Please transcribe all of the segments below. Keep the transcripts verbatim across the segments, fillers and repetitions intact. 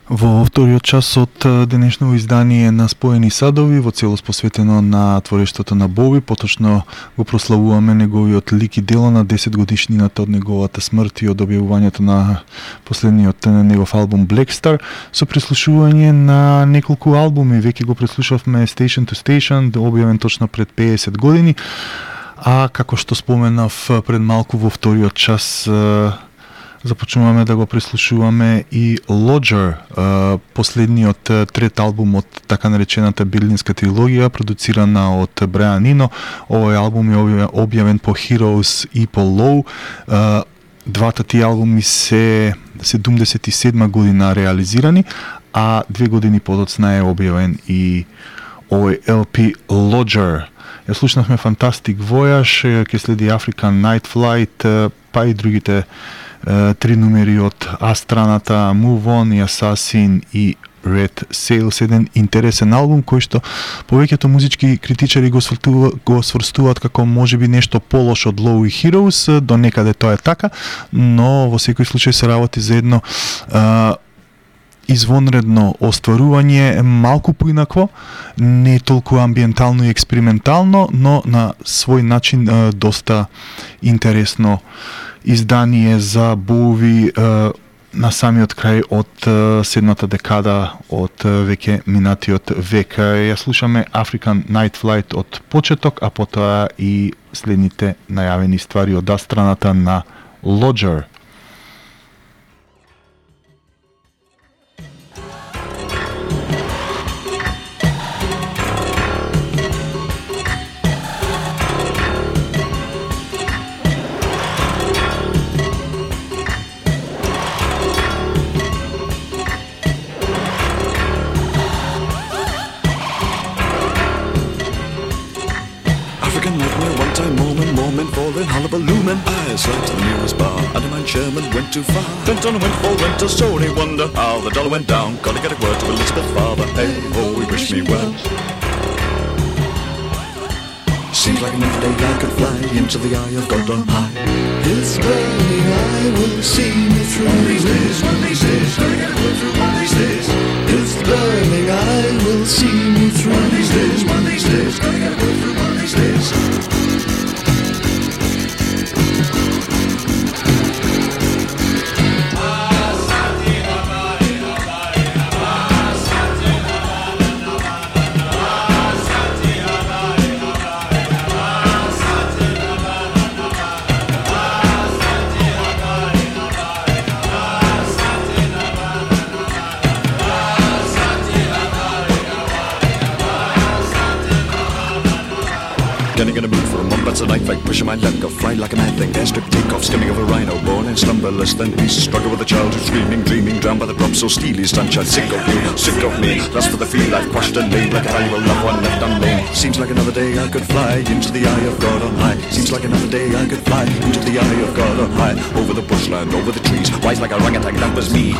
Во вториот час од денешно издание на Споени садови, во целост посветено на творештвото на Боуи, поточно го прославуваме неговиот лик и дело на десет годишнината од неговата смрт и од објавувањето на последниот негов албум Black Star, со преслушување на неколку албуми. Веќе го преслушавме Station to Station, објавен точно пред педесет години, а како што споменав пред малку во вториот час, започнуваме да го преслушуваме и Lodger, последниот трет албум од така наречената Берлинска трилогија, продуцирана од Брайан Ино. Овој албум е објавен по Heroes и по Low. Двата ти албуми се седумдесет и седма година реализирани, а две години подоцна е објавен и овој Ел Пи Lodger. Ја слушнавме Fantastic Voyage, ќе следи African Night Flight, па и другите три номери од А-страната, Move On и Assassin и Red Sails, еден интересен албум кој што повеќето музички критичари го сврстуваат, го сврстуваат како можеби нешто полош од Low и Heroes, до некаде тоа е така, но во секој случај се работи за едно а, извонредно остварување, малку поинакво, не толку амбиентално и експериментално, но на свој начин а, доста интересно издание за Боуи на самиот крај од седмата декада од веќе минатиот век. Ја слушаме African Night Flight од почеток, а потоа и следните најавени ствари од А-страната на Lodger. Hullabaloo and I slept to the nearest bar. Undermined Sherman went too far. Bent on a windfall, went to Sony. Wonder how the dollar went down. Gotta get a word to Elizabeth's father. Hey, oh, he wished me well. Seems like another day I could fly into the eye of God on high. His burning eye will see me through. One of these days, one of these days, gotta get a word through one of these days. His burning eye will see me through. One of these days, one of these days, gotta get a word through one of these days. Getting in a mood for a month, that's a night fight. Pushing my luck, go fly like a mad thing. Airstrip takeoff, skimming over rhino. Born and slumberless, then beast. Struggle with a child who's dreaming, dreaming. Drowned by the drop so steely. Sunshine, sick of you, sick of me. Lust for the feel, I've quashed and laid like a valuable loved one left unnamed. Seems like another day I could fly into the eye of God on high. Seems like another day I could fly into the eye of God on high. Over the bushland, over the trees. Wise like a orangutan, that was me.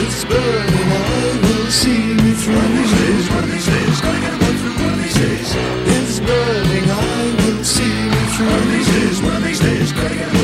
It's burning, I will see me through. One of these days, one of these days, gotta get a word through one of these days. It's burning, I will see me through. One of these days, one of these days, gotta get a word.